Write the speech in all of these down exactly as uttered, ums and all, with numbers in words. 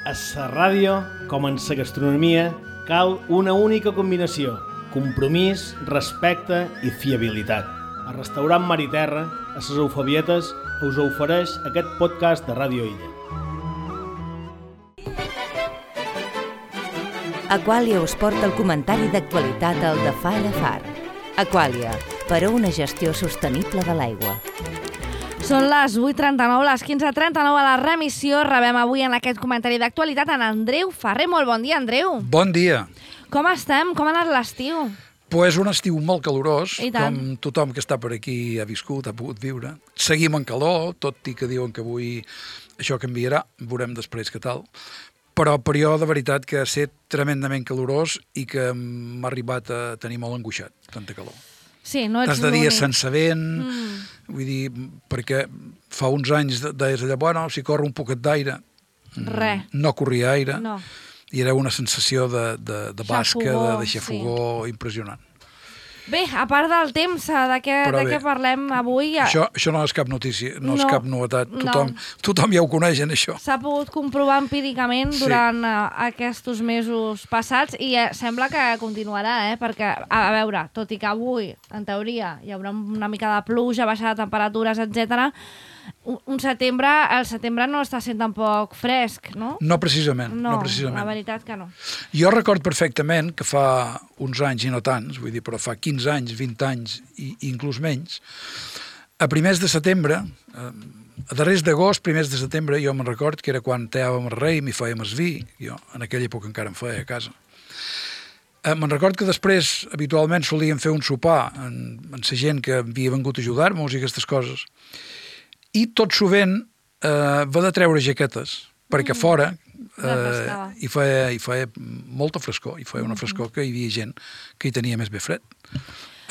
A la ràdio, com en la gastronomia, cal una única combinació: compromís, respecte i fiabilitat. El restaurant Mar i Terra, a les Eufabietes, us ofereix aquest podcast de Ràdio Illa. Aquàlia us porta el comentari d'actualitat al de Far a Far. Aquàlia, per a una gestió sostenible de l'aigua. Són les vuit trenta-nou, les quinze trenta-nou a la remissió. Rebem avui en aquest comentari d'actualitat en Andreu Ferrer. Molt bon dia, Andreu. Bon dia. Com estem? Com ha anat l'estiu? Pues un estiu molt calorós, I tant. com tothom que està per aquí ha viscut, ha pogut viure. Seguim en calor, tot i que diuen que avui això canviarà, veurem després què tal. Però per jo, de veritat, que ha estat tremendament calorós i que m'ha arribat a tenir molt angoixat, tanta calor. Sí, no ets Has de dir l'únic. sense vent, Mm. vull dir, perquè fa uns anys deies allà, bueno, si corre un poquet d'aire, Res. no corria aire, No. i era una sensació de, de, de basca, Xafogó, de, de xafogó, impressionant. Bé, a part del temps, de què, Però de bé, què parlem avui, Això, això no és cap notícia, no, és No, cap novetat. no. Tothom, tothom ja ho coneixen, això. s'ha pogut comprovar empíricament Sí. durant uh, aquests mesos passats i eh, sembla que continuarà, eh? Perquè, a, a veure, tot i que avui, en teoria, hi haurà una mica de pluja, baixada de temperatures, etcètera, un, un setembre, el setembre no està sent tampoc fresc, no? No precisament, no, No, precisament. la veritat que no. Jo record perfectament que fa uns anys, i no tants, vull dir, però fa quinze anys, vint anys i, i inclús menys, a primers de setembre, eh, a darrers d'agost, primers de setembre, jo me'n record que era quan teàvem el rei, m'hi fèiem el vi, jo en aquella època encara em feia a casa. Eh, me'n record que després, habitualment, solíem fer un sopar en, en la gent que havia vengut a ajudar-nos i aquestes coses. I tot sovint eh, va de treure jaquetes, perquè fora eh, Refrescava. hi, feia, hi feia molta frescor, hi feia una frescor que hi havia gent que hi tenia més bé fred.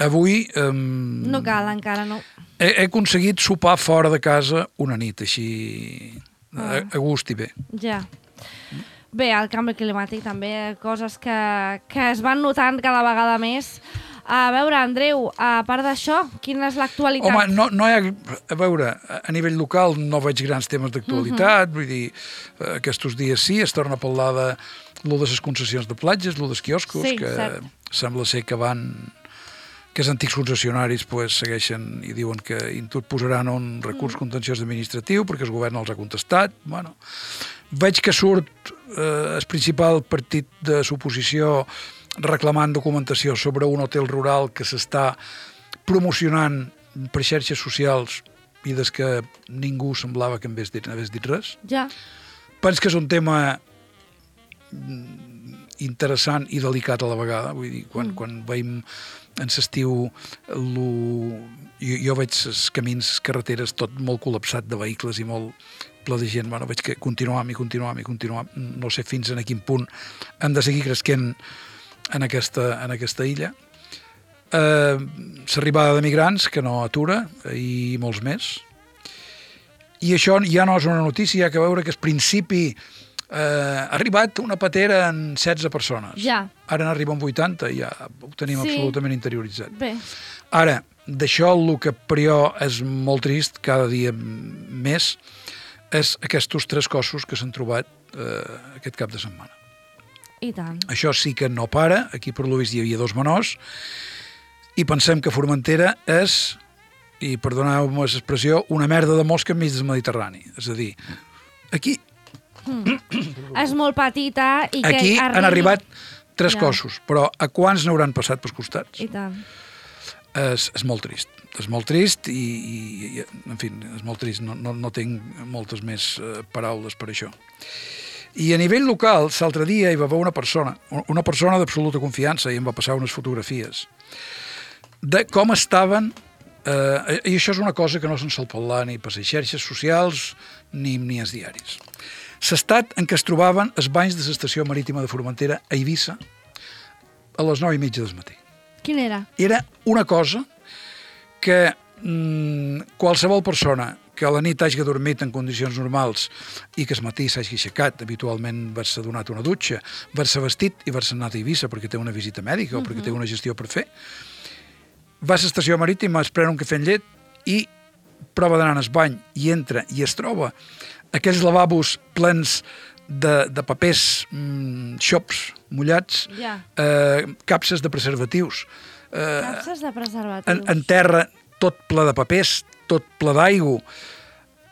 Avui eh, No cal encara, no. he, he aconseguit sopar fora de casa una nit, així a, Ah. a gust i bé. Ja. Bé, el canvi climàtic també, coses que, que es van notant cada vegada més. A veure, Andreu, a part d'això, quina és l'actualitat? Home, no, no hi ha... A veure, a nivell local no veig grans temes d'actualitat, Mhm. vull dir, eh, aquests dies sí, es torna a parlar de lo de les concessions de platges, lo dels quioscos, Sí, que cert. sembla ser que van... que els antics concessionaris pues, segueixen i diuen que interposaran un recurs Mm. contenciós administratiu perquè el govern els ha contestat. Bueno, veig que surt eh, el principal partit de l'oposició reclamant documentació sobre un hotel rural que s'està promocionant per xarxes socials i des que ningú semblava que en hagués dit, hagués dit res. Ja. Penso que és un tema mm, interessant i delicat a la vegada. Vull dir, quan, Mm. quan veiem en l'estiu lo... jo, jo veig els camins, les carreteres, tot molt col·lapsat de vehicles i molt ple de gent. Bueno, veig que continuam i continuam i continuam. No sé fins a quin punt hem de seguir cresquent en aquesta, en aquesta illa. Eh, l'arribada de migrants, que no atura, i molts més. I això ja no és una notícia, hi ha que veure que al principi eh, ha arribat una patera en setze persones. Ja. Ara n'arriben vuitanta i ja ho tenim Sí. absolutament interioritzat. Bé, Ara, d'això el que per jo és molt trist, cada dia més, és aquests tres cossos que s'han trobat eh, aquest cap de setmana. i tant. Això sí que no para, aquí per l'Uvis hi havia dos menors, i pensem que Formentera és, i perdoneu-me l'expressió, una merda de mosca enmig del Mediterrani. És a dir, aquí, És molt petita i que aquí arribi... han arribat tres Ja. cossos, però a quants n'hauran passat pels costats? I tant. És, és molt trist. És molt trist i, i, i en fi, és molt trist. No, no, no tinc moltes més eh, paraules per això. I a nivell local, l'altre dia hi va haver una persona, una persona d'absoluta confiança, i em va passar unes fotografies de com estaven, eh, i això és una cosa que no se'n sol parlar ni per les xarxes socials ni, ni als diaris. L'estat en què es trobaven els banys de l'estació marítima de Formentera a Eivissa a les nou i mitja del matí. Quin era? Era una cosa que mmm, qualsevol persona que a la nit hagi dormit en condicions normals i que al matí s'hagi aixecat, habitualment va-se donat una dutxa, va-se vestit i va-se anat a Eivissa perquè té una visita mèdica o perquè té una gestió per fer, va a l'estació marítima, es pren un cafè amb llet i prova d'anar al bany i entra i es troba aquells lavabos plens de, de papers mm, xops mullats, Ja. eh, capses de preservatius. Eh, Capses de preservatius. en, en terra, tot ple de papers, tot ple d'aigua.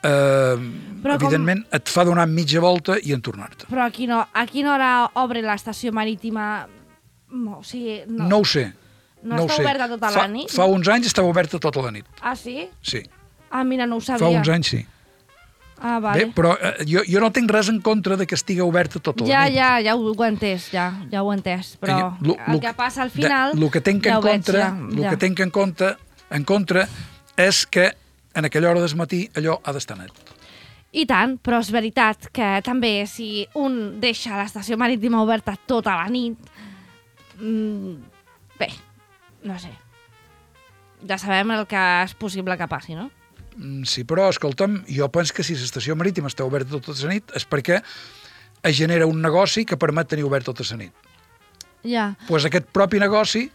Eh, Però com- evidentment, et fa donar mitja volta i en tornar-te. Però a quina, a quina hora obre l'estació marítima? No, o sigui, no. No ho sé. No no ho està sé. oberta tota fa, la nit? Fa uns anys estava oberta tota la nit, Ah, sí? sí. Ah, mira, no ho sabia. Fa uns anys sí. Ah, vale. Bé, però eh, jo, jo no tinc res en contra de que estigui oberta tota Ja, la nit. ja, ja ho, ho he entès, ja, ja ho he entès. Però Lo- el lo- que passa al final... El que tinc ja en ho veig, contra, ja, lo ja. que tinc en contra, en contra és que en aquella hora del matí allò ha d'estar net. I tant, però és veritat que també si un deixa l'estació marítima oberta tota la nit, mmm, bé, no sé. Ja sabem el que és possible que passi, no? Mm, Sí, però, escolta'm, jo penso que si l'estació marítima està oberta tota la nit és perquè es genera un negoci que permet tenir obert tota la nit. Ja. Doncs pues aquest propi negoci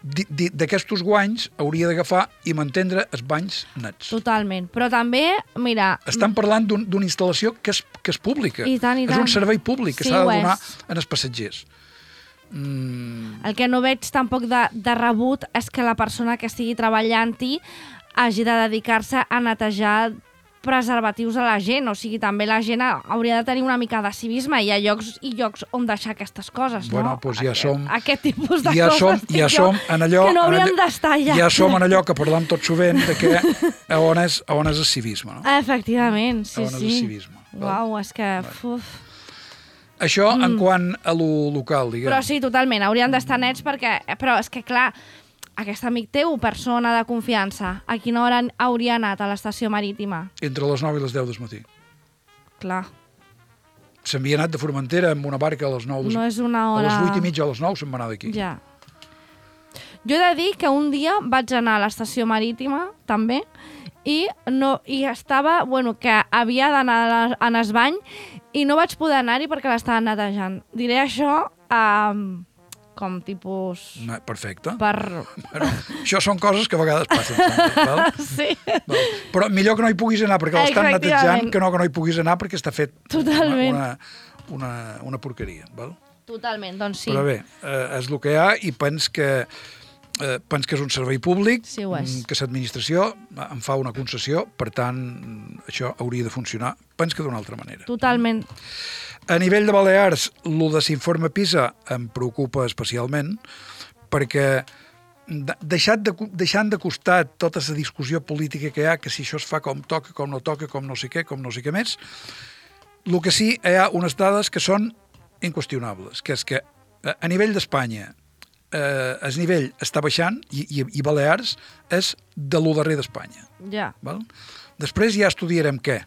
di- di- d'aquests guanys hauria d'agafar i mantindre els banys nets. Totalment. Però també, mira... Estan parlant d'un- d'una instal·lació que és, que és pública. I tant, i és tant. un servei públic que Sí, s'ha de ho donar és. als passatgers. Mm, El que no veig tampoc de, de rebut és que la persona que estigui treballant-hi hagi de dedicar-se a netejar preservatius a la gent, o sigui, també la gent hauria de tenir una mica de civisme, hi ha llocs i llocs on deixar aquestes coses, Bueno, no? doncs ja aquest, som- Aquest tipus de ja coses, som, dic ja jo, som en allò... que no en haurien allò- d'estar allà. Ja som en allò que parlem tot sovint de que a on és, a on és el civisme, no? Efectivament, sí, A on és sí. el civisme. val? Uau, és que... Uf. Això en quant a lo local, diguem. Però sí, totalment, haurien d'estar nets perquè... Però és que, clar, aquest amic teu, persona de confiança, a quina hora hauria anat a l'estació marítima? Entre les nou i les deu del matí. Clar, S'havia anat de Formentera amb una barca a les nou. no és una hora... A les vuit i mitja a les nou se'n va anar d'aquí. Ja. Jo he de dir que un dia vaig anar a l'estació marítima, també, i, no, i estava, bueno, que havia d'anar a la- en el bany i no vaig poder anar-hi perquè l'estaven netejant. Diré això um, com tipus... No, perfecte. Per... Bueno, això són coses que a vegades passen. Sempre, val? Sí. Val. Però millor que no hi puguis anar perquè l'estan netejant Efectivament. que no que no hi puguis anar perquè està fet Totalment. una, una, una porqueria. Val? Totalment, doncs sí. Però bé, eh, és el que hi ha i pens que, eh, pens que és un servei públic, Sí, ho és. mm, que l'administració en fa una concessió, per tant, això hauria de funcionar, pens que d'una altra manera. Totalment. A nivell de Balears, el de l'informe PISA em preocupa especialment perquè de- deixat de, deixant de costat tota la discussió política que hi ha, que si això es fa com toca, com no toca, com no sé què, com no sé què més, el que sí hi ha unes dades que són inqüestionables, que és que eh, a nivell d'Espanya eh, el nivell està baixant i, i, i Balears és de lo darrer d'Espanya. Ja. Val? Després ja estudiarem què.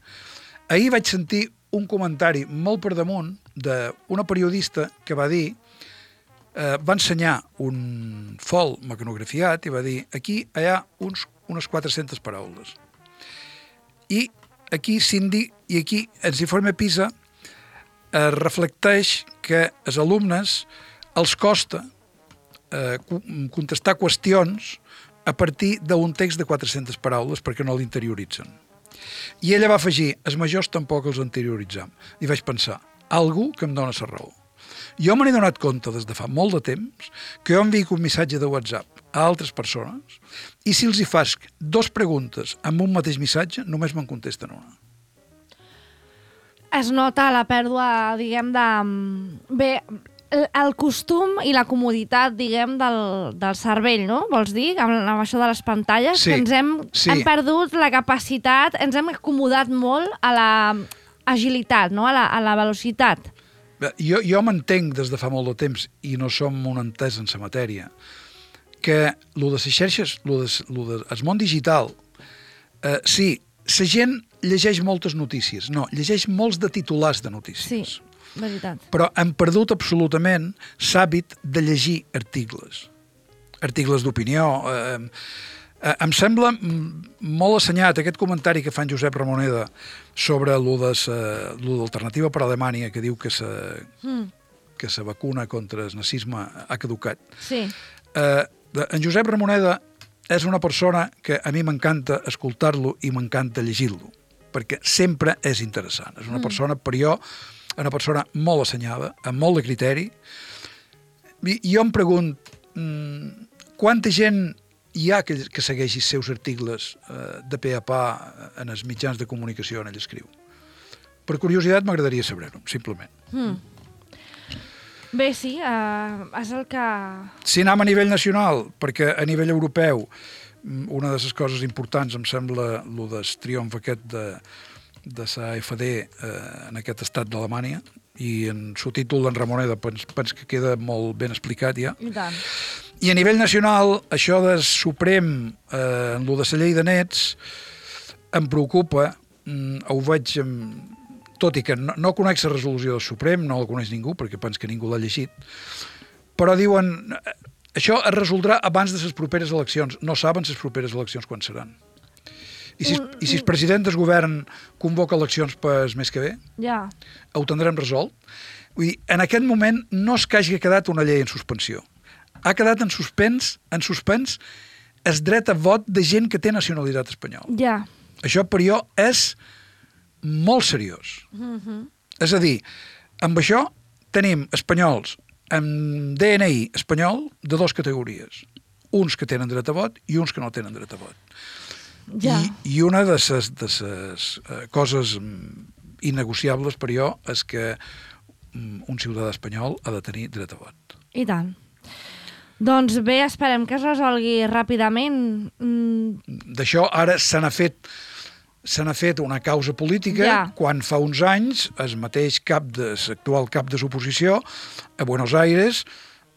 Ahir vaig sentir un comentari molt per damunt d'una periodista que va dir, eh, va ensenyar un fol mecanografiat i va dir, aquí hi ha uns, unes quatre-centes paraules. I aquí s'indi, i aquí ens informe PISA eh, reflecteix que els alumnes els costa eh, co- contestar qüestions a partir d'un text de quatre-centes paraules perquè no l'interioritzen. I ella va afegir, els majors tampoc els interioritzam. I vaig pensar, algú que em dona la raó. Jo me n'he donat compte des de fa molt de temps que jo envico un missatge de WhatsApp a altres persones i si els hi fas dos preguntes amb un mateix missatge, només me'n contesten una. Es nota la pèrdua, diguem, de... Bé, el, el costum i la comoditat, diguem, del, del cervell, no? Vols dir? Amb, amb això de les pantalles, Sí, que ens hem, sí. hem perdut la capacitat, ens hem acomodat molt a la agilitat, no? A la, a la velocitat. Bé, Jo, jo m'entenc des de fa molt de temps, i no som un entès en la matèria, que lo de les xarxes, lo de, lo de, el món digital, eh, sí, la gent llegeix moltes notícies, no, llegeix molts de titulars de Sí, notícies. veritat. Però hem perdut absolutament l'hàbit de llegir articles. Articles d'opinió. Eh, eh, em sembla mm, molt assenyat aquest comentari que fa en Josep Ramoneda sobre lo de sa- lo d'Alternativa per Alemanya, que diu que sa, Mm, que la vacuna contra el nazisme ha caducat. sí, Eh, de- en Josep Ramoneda és una persona que a mi m'encanta escoltar-lo i m'encanta llegir-lo, perquè sempre és interessant. És una persona, per jo, una persona molt assenyada, amb molt de criteri. I jo em pregunto, quanta gent hi ha que, que segueixi els seus articles eh, de pe a pa en els mitjans de comunicació on ell escriu? Per curiositat m'agradaria saber-ho, simplement. Mm. Bé, sí, uh, és el que... Si anem a nivell nacional, perquè a nivell europeu una de les coses importants em sembla el del triomf aquest de, de la A F D eh, en aquest estat d'Alemanya, i en subtítol d'en Ramoneda pens, pens que queda molt ben explicat ja. I tant. I a nivell nacional, això del Suprem, eh, en lo de la llei de nets, em preocupa, mm, ho veig... Amb, tot i que no, no conec la resolució del Suprem, no la coneix ningú, perquè penso que ningú l'ha llegit, però diuen, això es resoldrà abans de les properes eleccions. No saben les properes eleccions quan seran. I si, i si el president del govern convoca eleccions per mes que ve, ja. Ho tindrem resolt. Vull dir, en aquest moment no és que hagi quedat una llei en suspensió. Ha quedat en suspens, en suspens el dret a vot de gent que té nacionalitat espanyola. Ja. Això per jo és molt seriós. Mm-hmm. És a dir, amb això tenim espanyols amb D N I espanyol de dues categories. Uns que tenen dret a vot i uns que no tenen dret a vot. Ja. I, I una de les de ses, uh, coses innegociables per jo és que um, un ciutadà espanyol ha de tenir dret a vot. I tant. Doncs bé, esperem que es resolgui ràpidament. Mm. D'això ara se n'ha fet se n'ha fet una causa política ja. Quan fa uns anys el mateix cap de, l'actual cap de l'oposició a Buenos Aires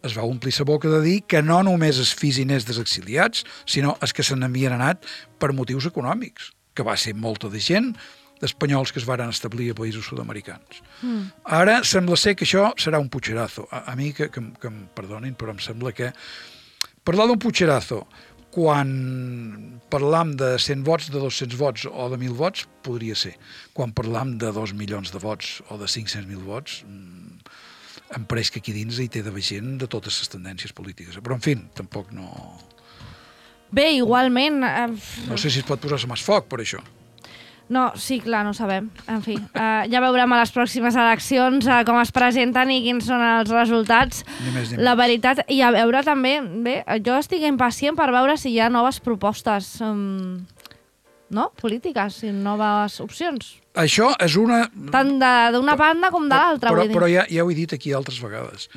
es va omplir la boca de dir que no només els fills i nets dels exiliats, sinó els que se n'havien anat per motius econòmics, que va ser molta de gent d'espanyols que es varen establir a països sud-americans. Mm. Ara sembla ser que això serà un pucherazo. A, a mi, que, que, que em perdonin, però em sembla que parlar d'un pucherazo quan parlam de cent vots, de dos-cents vots o de mil vots, podria ser. Quan parlam de dos milions de vots o de cinc-cents mil vots, em pareix que aquí dins hi té d'haver gent de totes les tendències polítiques. Però, en fi, tampoc no... Bé, igualment... Eh... No sé si es pot posar més foc per això. No, sí, clar, no ho sabem. En fi, uh, ja veurem a les pròximes eleccions uh, com es presenten i quins són els resultats. Ni més, ni la més. veritat, i a veure també, bé, jo estic impacient per veure si hi ha noves propostes, um, no?, polítiques, i noves opcions. Això és una... Tant d'una banda com de l'altra, però, vull dir. Però ja, ja ho he dit aquí altres vegades.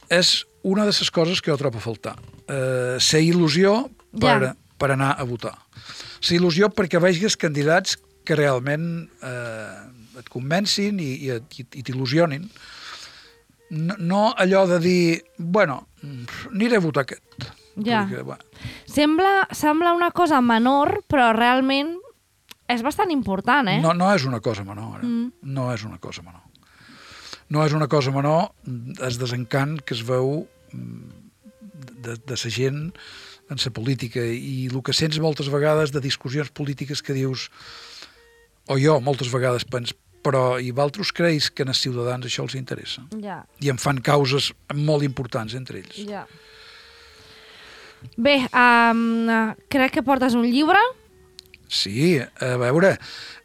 És una de les coses que jo trobo a faltar. Uh, ser il·lusió per, Ja. per anar a votar. Ser il·lusió perquè vegis candidats que realment eh, et convencin i, i, i, i t'il·lusionin. No, no allò de dir, bueno, aniré a votar aquest. Ja. Perquè, bueno, Sembla, sembla una cosa menor, però realment és bastant important, eh? no, no és una cosa menor. Eh? Mm. No és una cosa menor. No és una cosa menor el desencant que es veu de, de la gent en la política i el que sents moltes vegades de discussions polítiques que dius, o jo moltes vegades penso, però i vosaltres creus que als ciutadans això els interessa? Ja. I en fan causes molt importants entre ells. Ja. Bé, um, crec que portes un llibre. Sí, a veure,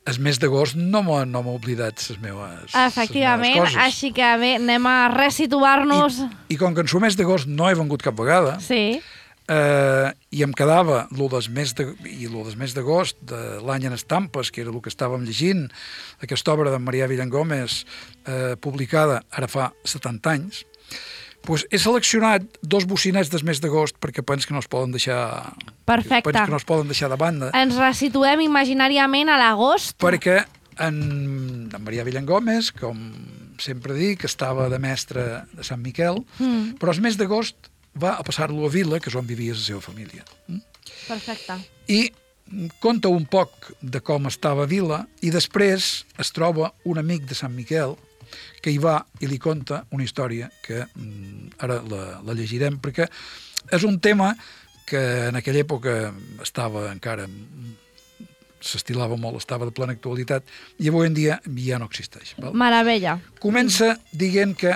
el mes d'agost no m'ho no m'ho oblidat les meves, Efectivament, les meves coses. així que bé, anem a resituar-nos. I, I com que en el mes d'agost no he vengut cap vegada, Sí. eh, i em quedava lo del mes de, i lo del mes d'agost de l'any en estampes, que era el que estàvem llegint, aquesta obra d'en Marià Villangómez, eh, publicada ara fa setanta anys, pues he seleccionat dos bocinets del mes d'agost perquè penso que no es poden deixar... Perfecte. Penso que no es poden deixar de banda. Ens resituem imaginàriament a l'agost. Perquè en, en Marià Villangómez, com sempre dic, estava de mestre de Sant Miquel, mm. però el mes d'agost va a passar-lo a Vila, que és on vivia la seva família. Mm? Perfecte. I conta un poc de com estava Vila i després es troba un amic de Sant Miquel que hi va i li conta una història que mm, ara la, la llegirem perquè és un tema que en aquella època estava encara s'estilava molt, estava de plena actualitat i avui en dia ja no existeix. Val? Meravella. Comença dient que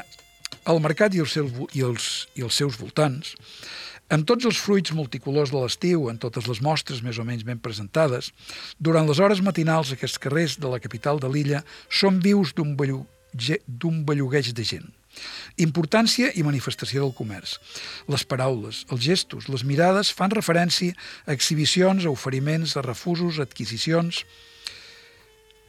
el mercat i els, seus, i, els, i els seus voltants, amb tots els fruits multicolors de l'estiu, en totes les mostres més o menys ben presentades, durant les hores matinals aquests carrers de la capital de l'illa són vius d'un bellú d'un bellugueig de gent. Importància i manifestació del comerç. Les paraules, els gestos, les mirades fan referència a exhibicions, a oferiments, a refusos, a adquisicions,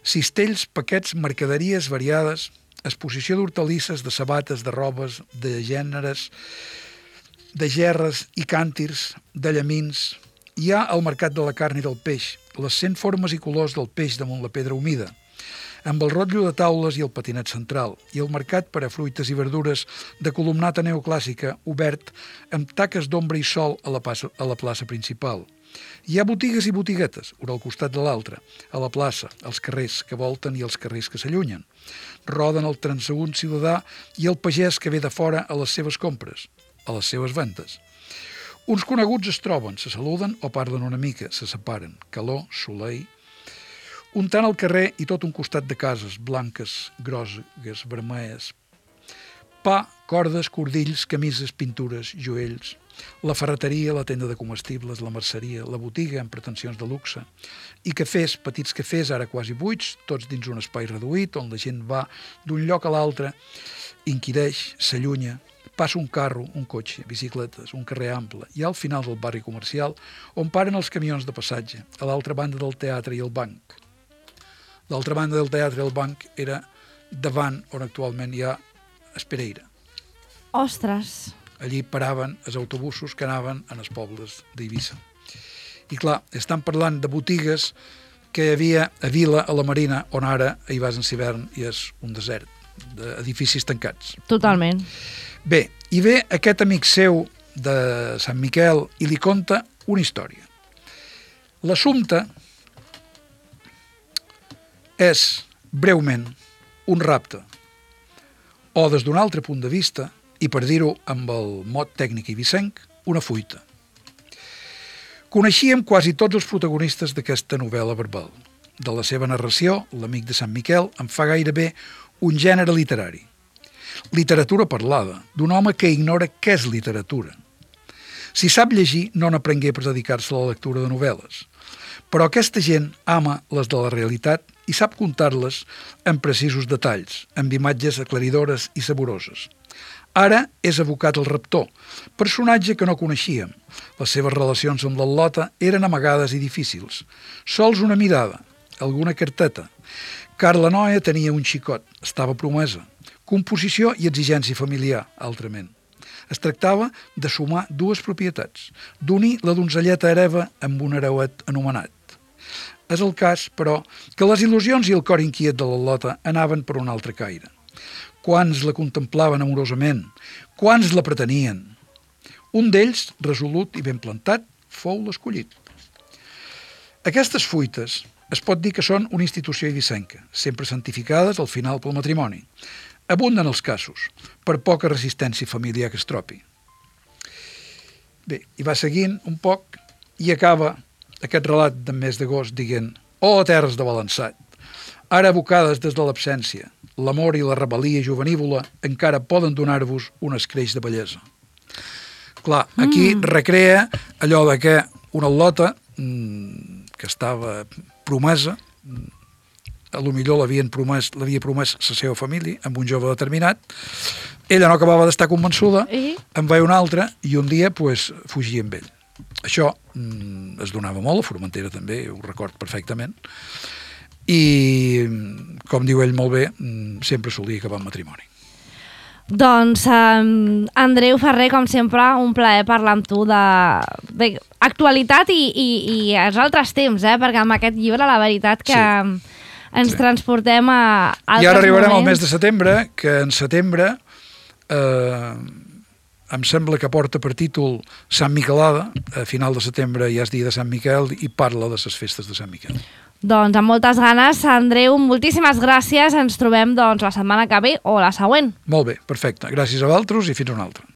cistells, paquets, mercaderies variades, exposició d'hortalisses, de sabates, de robes, de gèneres, de gerres i càntirs, de llamins. Hi ha el mercat de la carn i del peix, les cent formes i colors del peix damunt la pedra humida, amb el rotllo de taules i el patinet central, i el mercat per a fruites i verdures de columnata neoclàssica obert amb taques d'ombra i sol a la, plaça, a la plaça principal. Hi ha botigues i botiguetes, una al costat de l'altra, a la plaça, als carrers que volten i els carrers que s'allunyen. Roden el transeünt ciutadà i el pagès que ve de fora a les seves compres, a les seves ventes. Uns coneguts es troben, se saluden o parlen una mica, se separen, calor, soleil. Un tant al carrer i tot un costat de cases, blanques, grosses, vermelles. Pa, cordes, cordills, camises, pintures, joells. La ferreteria, la tenda de comestibles, la merceria, la botiga amb pretensions de luxe. I cafès, petits cafès, ara quasi buits, tots dins un espai reduït, on la gent va d'un lloc a l'altre, inquireix, s'allunya, passa un carro, un cotxe, bicicletes, un carrer ample, i al final del barri comercial, on paren els camions de passatge, a l'altra banda del teatre i el banc. L'altra banda del teatre i el banc era davant on actualment hi ha Espereira. Ostres! Allí paraven els autobusos que anaven en els pobles d'Eivissa. I clar, estan parlant de botigues que hi havia a Vila, a la Marina, on ara hi vas en hivern i és un desert d'edificis tancats. Totalment. Bé, i ve aquest amic seu de Sant Miquel i li conta una història. L'assumpte és, breument, un rapte, o des d'un altre punt de vista, i per dir-ho amb el mot tècnic eivissenc, una fuita. Coneixíem quasi tots els protagonistes d'aquesta novel·la verbal. De la seva narració, l'amic de Sant Miquel en fa gairebé un gènere literari. Literatura parlada, d'un home que ignora què és literatura. Si sap llegir, no n'aprengué per dedicar-se a la lectura de novel·les. Però aquesta gent ama les de la realitat i sap contar-les en precisos detalls, amb imatges aclaridores i saboroses. Ara és evocat el raptor, personatge que no coneixíem. Les seves relacions amb l'al·lota eren amagades i difícils. Sols una mirada, alguna carteta. Car la noia tenia un xicot, estava promesa. Composició i exigència familiar, altrament. Es tractava de sumar dues propietats, d'unir la donzelleta hereva amb un hereuet anomenat. És el cas, però, que les il·lusions i el cor inquiet de l'al·lota anaven per un altre caire. Quants la contemplaven amorosament, quants la pretenien. Un d'ells, resolut i ben plantat, fou l'escollit. Aquestes fuites es pot dir que són una institució eivissenca, sempre santificades al final pel matrimoni. Abunden els casos, per poca resistència familiar que es trobi. Bé, i va seguint un poc i acaba aquest relat d'en mes d'agost dient: «Oh, terres de balançat, ara abocades des de l'absència, l'amor i la rebel·lia juvenívola encara poden donar-vos un escreix de bellesa». Clar, aquí mm. recrea allò de que una al·lota mmm, que estava promesa, a lo millor l'havien promès, l'havia promès la seva família amb un jove determinat, ella no acabava d'estar convençuda, I? en va un altre i un dia pues, fugia amb ell. Això mm, es donava molt, a Formentera també, ho record perfectament, i com diu ell molt bé, mm, sempre solia acabar en matrimoni. Doncs, um, Andreu Ferrer, com sempre, un plaer parlar amb tu d'actualitat i, i, i els altres temps, eh? Perquè amb aquest llibre la veritat que sí. ens sí. transportem a altres moments. I ara arribarem moments. Al mes de setembre, que en setembre eh, em sembla que porta per títol Sant Miquelada, a final de setembre ja és dia de Sant Miquel i parla de les festes de Sant Miquel. Doncs amb moltes ganes, Andreu, moltíssimes gràcies. Ens trobem doncs, la setmana que ve o la següent. Molt bé, perfecte. Gràcies a vosaltres i fins una altra.